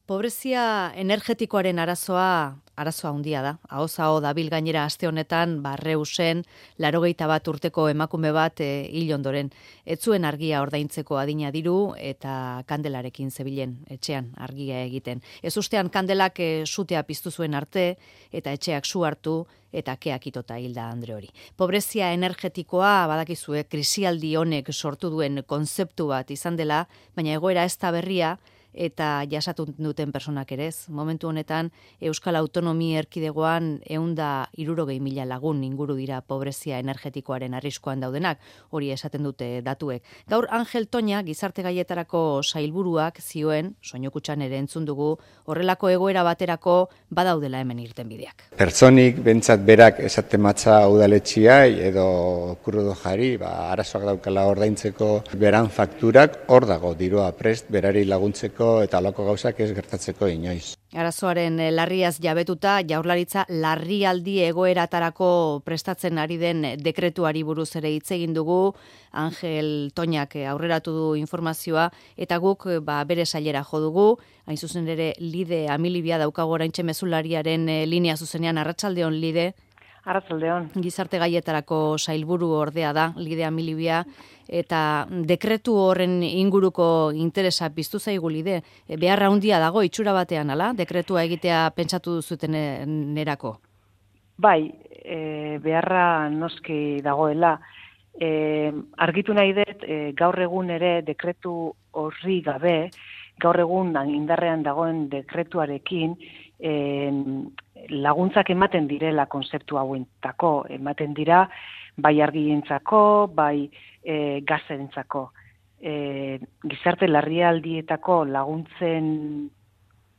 Pobrezia energetikoaren arazoa handia da. Ahoz aho dabil gainera aste honetan, Reusen 81 urteko emakume bat hil ondoren. Ez zuen argia ordaintzeko adina diru eta kandelarekin zebilen etxean argia egiten. Ez ustean kandelak sutea piztu zuen arte eta etxeak su hartu eta keak itota hilda Andre hori. Pobrezia energetikoa badakizue krisialdi honek sortu duen kontzeptu bat izan dela, baina egoera ez da berria, eta jasatu duten personak ere ez. Momentu honetan, Euskal Autonomia Erkidegoan 160.000 lagun inguru dira pobrezia energetikoaren arriskuan daudenak, hori esaten dute datuek. Gaur Angel Toña, gizarte gaietarako sailburuak zioen, soinokutxan ere entzun dugu, horrelako egoera baterako badaudela hemen irtenbideak. Pertsonik, bentsat berak esaten matza udaletxiai edo kurrudo jari, arazoak daukala ordaintzeko beran fakturak, hor dago dirua prest, berari laguntzeko eta alako gauzak ez gertatzeko inoiz. Arazoaren larriaz jabetuta, Jaurlaritza larrialdi egoeratarako prestatzen ari den dekretuari buruz ere hitz egin dugu. Angel Toñak aurreratu du informazioa eta guk bere sailera jo dugu. Hain zuzen ere Lide Amilibia daukago oraintxe mezulariaren linea zuzenean. Arratsaldeon, Lide. Arratsaldeon. Gizarte gaietarako sailburu ordea da Lide Amilibia, eta dekretu horren inguruko interesa piztu zaigu, Lide. Beharra handia dago itxura batean, ala? Dekretua egitea pentsatu duzuten nerako? Bai, beharra noski dagoela. Argitu nahi dut, gaur egun ere dekretu horri gabe, gaur egun indarrean dagoen dekretuarekin, laguntzak ematen direla konzeptu hauentako, ematen dira bai argientzako, bai gazentzako. Gizarte larrialdietako laguntzen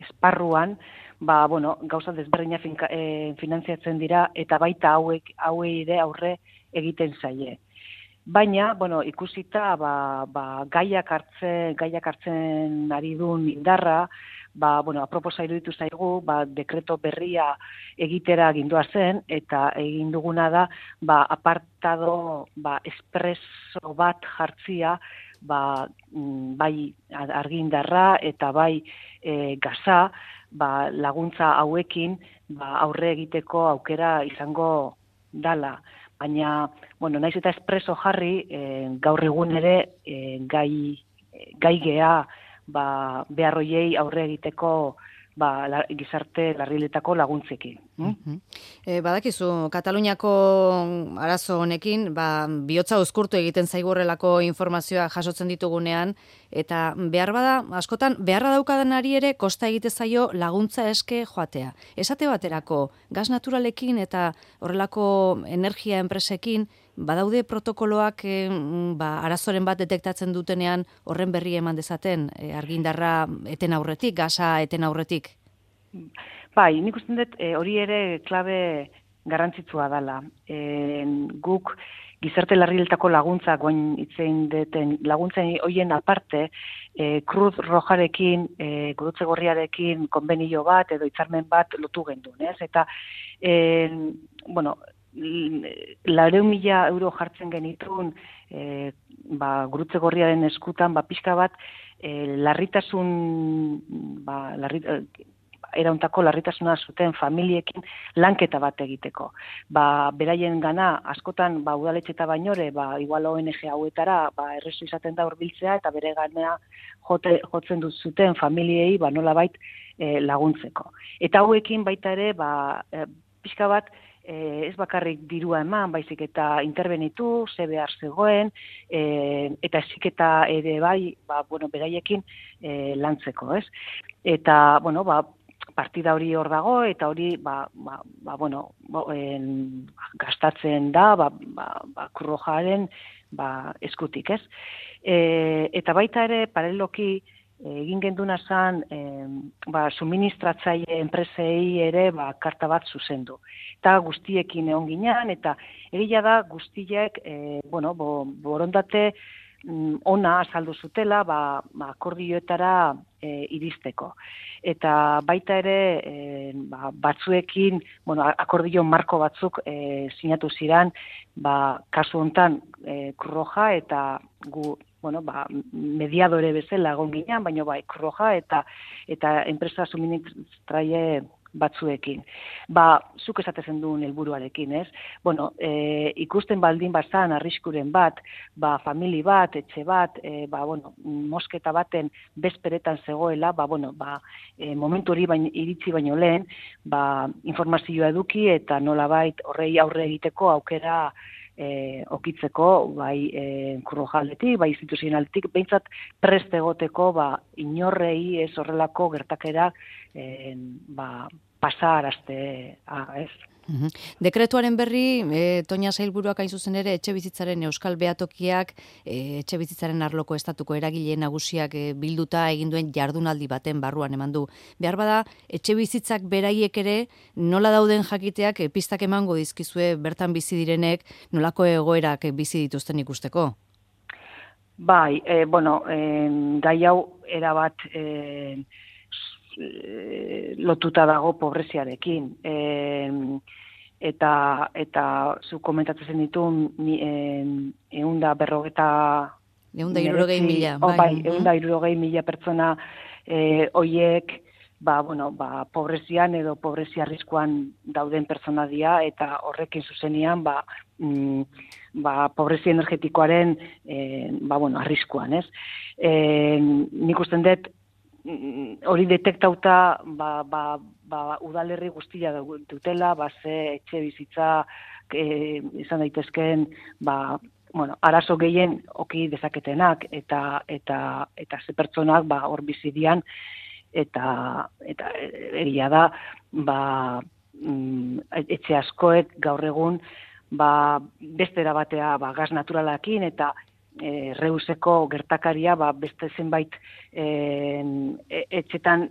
esparruan, gauza desberdina finantziatzen dira eta baita hauei ere aurre egiten zaie. Baina, ikusita gaiak hartzen ari duen indarra, aproposa iruditu zaigu, dekreto berria egitera gindua zen, eta egin duguna da, apartado espreso bat jartzia, bai argindarra eta bai gaza, laguntza hauekin aurre egiteko aukera izango dala. Baina, naiz eta espreso jarri, gaur egun ere gai gea beharroiei aurre egiteko gizarte larriletako laguntzekin. Badakizu, Kataluniako arazo honekin, bihotza uzkurtu egiten zaigu horrelako informazioa jasotzen ditugunean, eta askotan, beharra daukadanari ere kosta egite zaio laguntza eske joatea. Esate baterako, gas naturalekin eta horrelako energia enpresekin, badaude protokoloak arazoren bat detektatzen dutenean horren berri eman dezaten, argindarra eten aurretik, gasa eten aurretik? Bai, nik uste dut hori ere klabe garrantzitsua dela. Guk gizarte larriletako laguntzak, goin itzein deten laguntzen hoien aparte, Cruz Rojarekin, Gurutze Gorriarekin konbenio bat edo hitzarmen bat lotu gendun, ez? Eta, 400.000 euro jartzen genitun Gurutze Gorriaren eskutan, pixka bat, erauntako larritasuna zuten familiekin lanketa bat egiteko. Beraien gana, askotan, udaletxeta bainore, igual ONG hauetara, errezu izaten da hurbiltzea eta bere gana jotzen zuten familiei, nolabait laguntzeko. Eta hauekin baita ere, pixka bat, ez bakarrik dirua eman, baizik eta interbenitu, ze behar zegoen, eta eziketa ere beraiekin lantzeko, ez? Eta, partida hori hor dago, eta hori, gastatzen da, Kurrojaren eskutik, ez? Eta baita ere, paraleloki, egin genduna zen, suministratzaile enpresei ere karta bat zuzendu. Eta guztiekin egon ginean, eta egia da guztiek borondate ona azaldu zutela akordioetara iristeko. Eta baita ere batzuekin, akordio marko batzuk sinatu ziren, kasu hontan Kurroja eta gu mediadore bezala egon ginean, baina Cruz Roja eta enpresa suministraile batzuekin. Zuk esatezen duen helburuarekin, ez? Ikusten baldin bazan arriskuren bat, famili bat, etxe bat, mosketa baten bezperetan zegoela, momentu hori iritsi baino lehen, informazioa eduki eta nolabait horrei aurre egiteko aukera okitzeko, bai Cruz Roja aldetik, bai instituzionaletik, behintzat prest egoteko, inorrei ez horrelako gertakera pasarazte, ez? Dekretuaren berri, Toña sailburuak hain zuzen ere, etxe bizitzaren euskal behatokiak, etxe bizitzaren arloko estatuko eragile nagusiak bilduta egin duen jardunaldi baten barruan eman du. Behar bada, etxe bizitzak beraiek ere, nola dauden jakiteak pistak emango dizkizue bertan bizi direnek, nolako egoerak bizi dituzten ikusteko? Bai, gai hau erabat lotuta dago pobreziarekin. Eta zu komentatzen ditun 160.000 pertsona hoiek pobrezian edo pobrezia arriskuan dauden pertsona dira, eta horrekin zuzenian pobrezia energetikoaren arriskuan, ez? Nik usten dut hori detektauta udalerri guztia dutela, ze etxe bizitza izan daitezkeen arazo gehien oki dezaketenak eta ze pertsonak hor bizi dian, eta egia da etxe askoek gaur egun beste erabatea gas naturalakin eta Reuseko gertakaria beste zenbait etxetan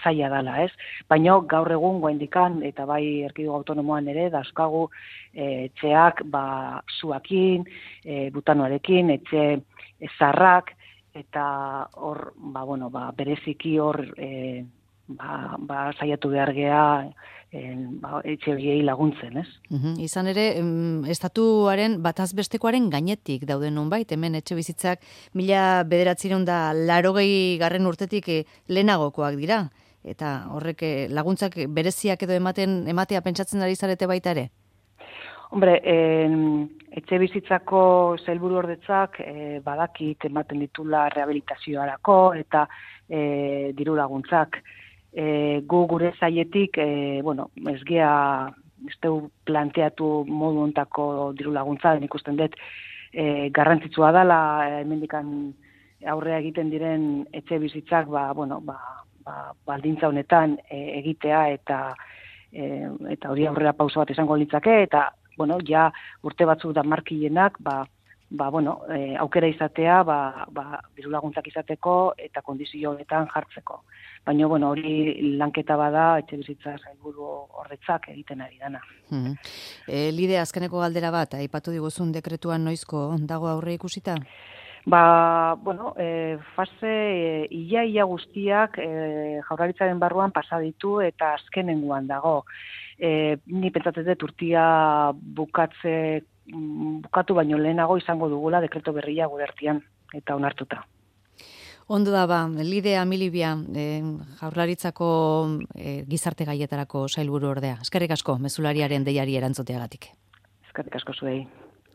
zaila dala, ez? Baina gaur egun goendikan eta bai erkidego autonomoan ere dauzkagu etxeak zuakin, butanoarekin, etxe zarrak, eta hor bereziki hor saiatu behar gea etxe horiei laguntzen, ez? Izan ere, estatuaren batazbestekoaren gainetik dauden nonbait, hemen etxe bizitzak 1980 urtetik lehenagokoak dira, eta horrek laguntzak bereziak edo ematea pentsatzen ari zarete baita ere? Hombre, etxe bizitzako sailburuordetzak badakit ematen ditula rehabilitazioarako eta diru laguntzak. Gu gure zailetik, ez gea planteatu modu ontako diru laguntza, ikusten dut garrantzitsua dela, hemendikan aurrea egiten diren etxe bizitzak, baldintza honetan egitea eta hori aurrera pauso bat izango litzake, eta ja urte batzuk da markilenak, aukera izatea, diru laguntzak izateko eta kondizio honetan jartzeko. Baina, hori lanketa bada, etxe bizitza sailburu horretzak egiten ari dana. Lide, azkeneko galdera bat, aipatu diguzun dekretuan noizko dago aurre ikusita? Fase ia guztiak Jaurlaritzaren barruan pasa ditu eta azkenengoan dago. Ni pentsatzen dut urtia bukatu baino lehenago izango dugula dekreto berria gure artean eta onartuta. Ondo da Lide Amilibia, Jaurlaritzako gizarte gaietarako sailburu ordea. Eskerrik asko, mezulariaren deiari erantzuteagatik. Eskerrik asko zuei.